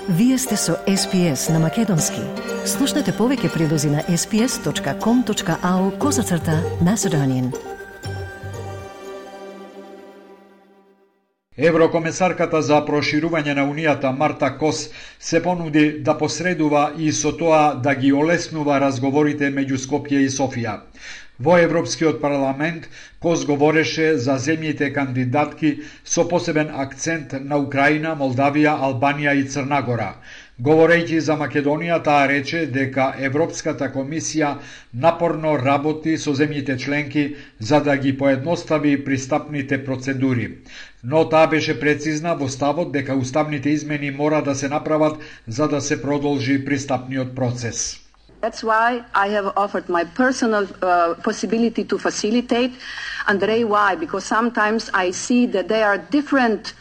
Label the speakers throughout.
Speaker 1: Вие сте со SPS на Македонски. Слушнете повеќе прилози на sps.com.au/Macedonian.
Speaker 2: Еврокомесарката за проширување на Унијата Марта Кос се понуди да посредува и со тоа да ги олеснува разговорите меѓу Скопје и Софија. Во Европскиот парламент Кос говореше за земјите кандидатки со посебен акцент на Украина, Молдавија, Албанија и Црна Гора. Говорејќи за Македонија, таа рече дека Европската комисија напорно работи со земјите членки за да ги поедностави пристапните процедури. Но таа беше прецизна во ставот дека уставните измени мора да се направат за да се продолжи пристапниот процес.
Speaker 3: That's why I have offered my personal possibility to facilitate. Andrei, why? Because sometimes I see that there are different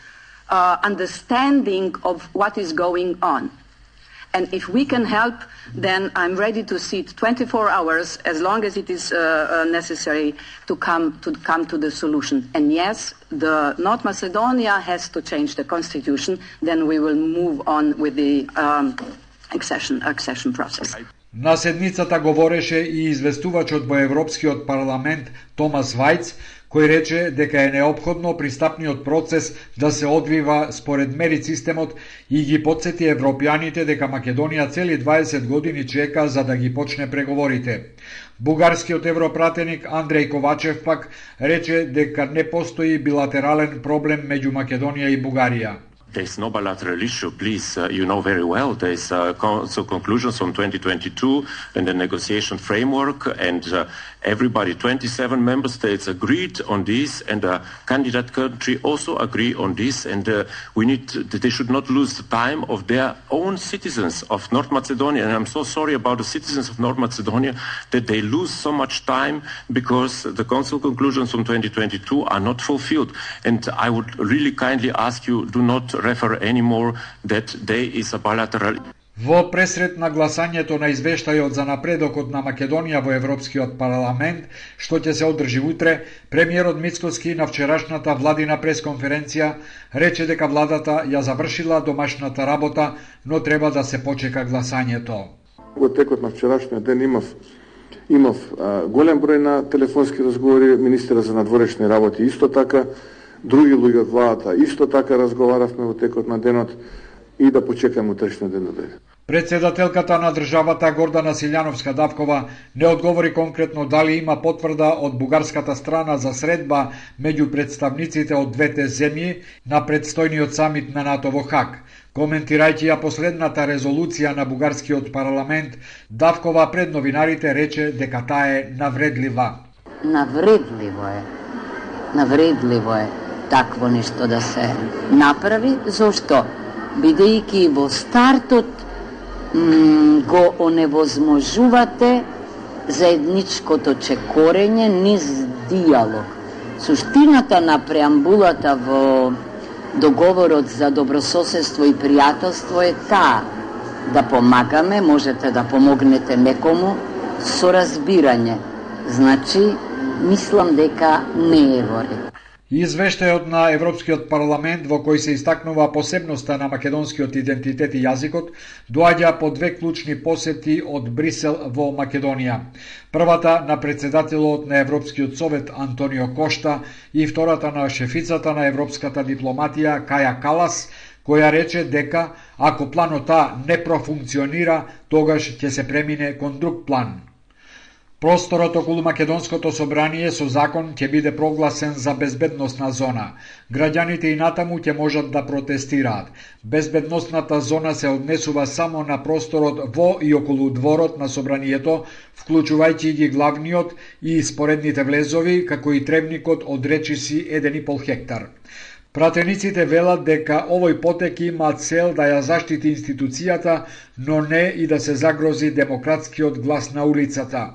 Speaker 3: understanding of what is going on. And if we can help, then I'm ready to sit 24 hours as long as it is necessary to come to the solution. And yes, the North Macedonia has to change the constitution. Then we will move on with the accession process.
Speaker 2: На седницата говореше и известувачот во Европскиот парламент Томас Вајц, кој рече дека е неопходно пристапниот процес да се одвива според мерит системот и ги потсети европјаните дека Македонија цели 20 години чека за да ги почне преговорите. Бугарскиот европратеник Андреј Ковачев пак рече дека не постои билатерален проблем меѓу Македонија и Бугарија.
Speaker 4: There's no bilateral issue, please. You know very well there's Council conclusions from 2022 and the negotiation framework, and everybody, 27 member states agreed on this, and the candidate country also agree on this, and they should not lose the time of their own citizens of North Macedonia. And I'm so sorry about the citizens of North Macedonia that they lose so much time because the Council conclusions from 2022 are not fulfilled. And I would really kindly ask you, do not refer anymore that there is a bilateral.
Speaker 2: Во пресред на гласањето на извештајот за напредокот на Македонија во Европскиот парламент, што ќе се одржи утре, премиерот Мицкоски на вчерашната владина пресконференција рече дека владата ја завршила домашната работа, но треба да се почека гласањето.
Speaker 5: Во текот на вчерашниот ден имав голем број на телефонски разговори, министерот за надворешни работи исто така, други луѓе од владата исто така разговаравме во текот на денот и да почекаме утрешниот ден да дојде.
Speaker 2: Председателката на државата Гордана Силјановска-Давкова не одговори конкретно дали има потврда од бугарската страна за средба меѓу представниците од двете земји на предстојниот самит на НАТО во Хаг. Коментирајќи ја последната резолуција на бугарскиот парламент, Давкова пред новинарите рече дека таа е навредлива.
Speaker 6: Навредливо е такво нешто да се направи. Зошто? Бидејќи во стартот го оневозможувате заедничкото чекорење низ диалог. Суштината на преамбулата во договорот за добрососедство и пријателство е таа да помагаме, можете да помогнете некому со разбирање. Значи, мислам дека не е во ред.
Speaker 2: Извештајот на Европскиот парламент во кој се истакнува посебноста на македонскиот идентитет и јазикот доаѓа по две клучни посети од Брисел во Македонија. Првата на председателот на Европскиот совет Антонио Кошта и втората на шефицата на европската дипломатија Каја Калас, која рече дека ако планот А не профункционира, тогаш ќе се премине кон друг план. Просторот околу Македонското собрание со закон ќе биде прогласен за безбедносна зона. Граѓаните и натаму ќе можат да протестираат. Безбедносната зона се однесува само на просторот во и околу дворот на собранието, вклучувајќи ги главниот и споредните влезови, како и требникот од речиси 1,5 хектар. Пратениците велат дека овој потек има цел да ја заштити институцијата, но не и да се загрози демократскиот глас на улицата.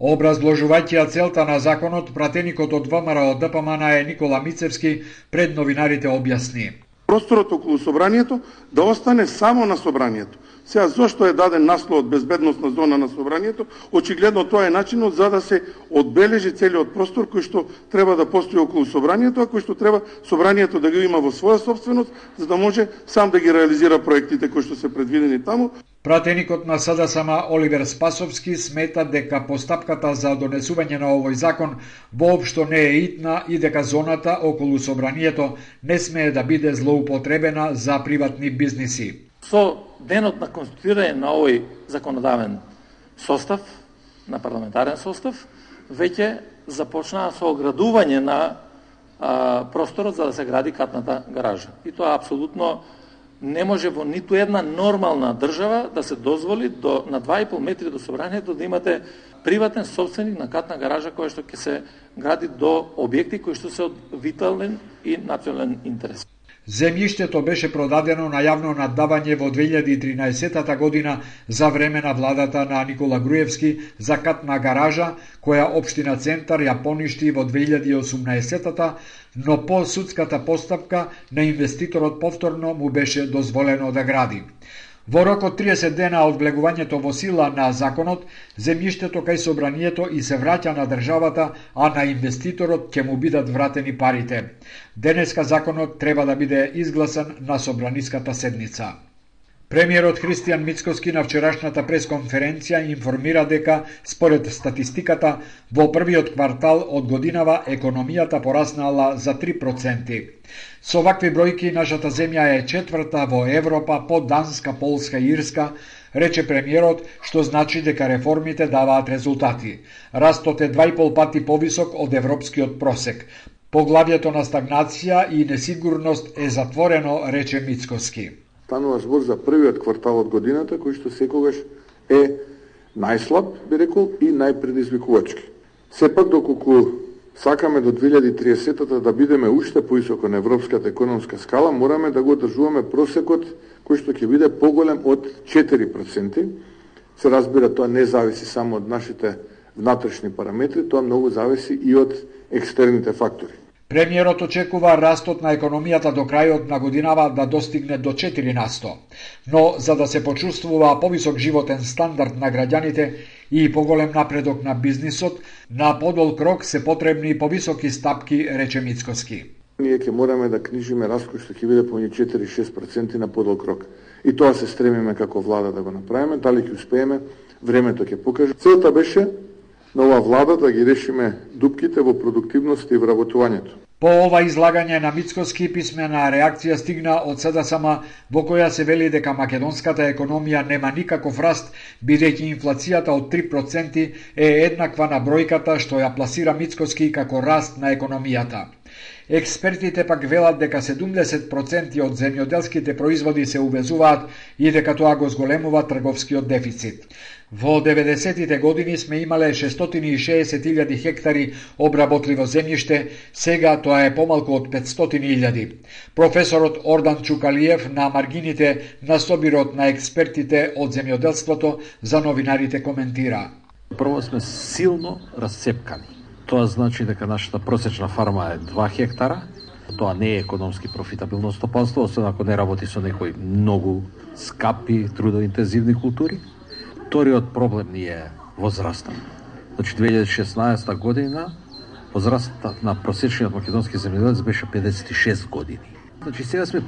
Speaker 2: Образложувајќи ја целта на законот, пратеникот од ВМРО ДПМН е Никола Мицевски пред новинарите објасни.
Speaker 5: Просторот околу собранието да остане само на собранието. Сега, зошто е даден насловот безбедносна зона на собранието? Очигледно тоа е начинот за да се одбележи целиот простор кој што треба да постои околу собранието, а кој што треба собранието да го има во своја собственост, за да може сам да ги реализира проектите кои што се предвидени таму.
Speaker 2: Пратеникот на СДСМ Оливер Спасовски смета дека постапката за донесување на овој закон воопшто не е итна и дека зоната околу собранието не смее да биде злоупотребена за приватни бизниси.
Speaker 7: Со денот на конституирање на овој законодавен состав, на парламентарен состав, веќе започнаа со оградување на просторот за да се гради катната гаража. И тоа апсолутно не може во ниту една нормална држава да се дозволи на 2,5 метри до собранието да имате приватен собственик на катна гаража која што ќе се гради до објекти кои што се од витален и национален интерес.
Speaker 2: Земјиштето беше продадено на јавно наддавање во 2013 година за време на владата на Никола Груевски за катна гаража, која општина Центар ја поништи во 2018, но по судската постапка на инвеститорот повторно му беше дозволено да гради. Во рок од 30 дена од влегувањето во сила на законот, земјиштето кај собранието и се враќа на државата, а на инвеститорот ќе му бидат вратени парите. Денеска законот треба да биде изгласан на собраниската седница. Премиерот Христијан Мицкоски на вчерашната пресконференција информира дека, според статистиката, во првиот квартал од годинава економијата пораснала за 3%. Со вакви бројки, нашата земја е четврта во Европа по Данска, Полска и Ирска, рече премиерот, што значи дека реформите даваат резултати. Растот е 2,5 пати повисок од европскиот просек. Поглавјето на стагнација и несигурност е затворено, рече Мицкоски.
Speaker 5: Станува збор за првиот квартал од годината, кој што секогаш е најслаб, би рекол, и најпредизвикувачки. Сепак, доколку сакаме до 2030 да бидеме уште поисоко на европската економска скала, мораме да го одржуваме просекот кој што ќе биде поголем од 4%. Се разбира, тоа не зависи само од нашите внатрешни параметри, тоа многу зависи и од екстерните фактори.
Speaker 2: Премиерот очекува растот на економијата до крајот на годинава да достигне до 4%. Но за да се почувствува повисок животен стандард на граѓаните и поголем напредок на бизнисот, на подолг рок се потребни повисоки стапки, рече Мицкоски.
Speaker 5: Ние ќе мораме да книжиме раст кој што ќе биде помеѓу 4-6% на подолг рок. И тоа се стремиме како влада да го направиме, дали ќе успееме, времето ќе покаже. Целта беше на оваа влада да ги решиме дупките во продуктивност и вработувањето.
Speaker 2: По ова излагање на Мицкоски писмена реакција стигна од СДСМ, во која се вели дека македонската економија нема никаков раст, бидејќи инфлацијата од 3% е еднаква на бројката што ја пласира Мицкоски како раст на економијата. Експертите пак велат дека 70% од земјоделските производи се увезуваат и дека тоа го зголемува трговскиот дефицит. Во 90-тите години сме имале 660.000 хектари обработливо земјиште, сега тоа е помалку од 500.000. Професорот Ордан Чукалиев на маргините на собирот на експертите од земјоделството за новинарите коментира.
Speaker 8: Прво сме силно расцепкани. Тоа значи дека нашата просечна фарма е 2 хектара. Тоа не е економски профитабилно стопанство, освен ако не работи со некои многу скапи, трудоинтензивни култури. Вториот проблем ни е возраста. Значи 2016 година возрастот на просечниот македонски земјоделец беше 56 години. Значи сега сме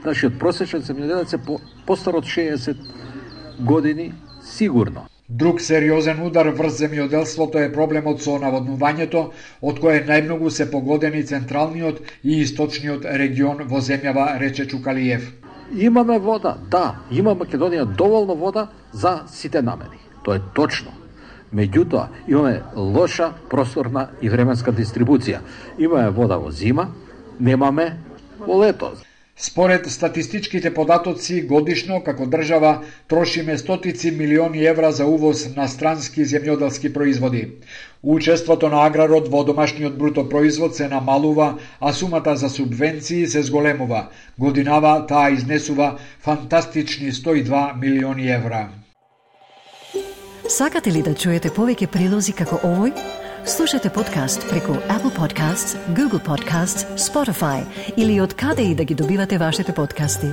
Speaker 8: нашиот просечен земјоделец е постар од 60 години сигурно.
Speaker 2: Друг сериозен удар врз земјоделството е проблемот со наводнувањето, од кое најмногу се погодени централниот и источниот регион во земјава, рече Чукалиев.
Speaker 8: Имаме вода, да, има Македонија доволно вода за сите намени. Тоа е точно. Меѓутоа, имаме лоша просторна и временска дистрибуција. Имаме вода во зима, немаме во лето.
Speaker 2: Според статистичките податоци, годишно како држава трошиме стотици милиони евра за увоз на странски земјоделски производи. Учеството на аграрот во домашниот бруто производ се намалува, а сумата за субвенции се зголемува. Годинава таа изнесува фантастични 102 милиони евра.
Speaker 1: Сакате ли да чуете повеќе прилози како овој? Слушате подкаст преку Apple Podcasts, Google Podcasts, Spotify или од каде и да ги добивате вашите подкасти.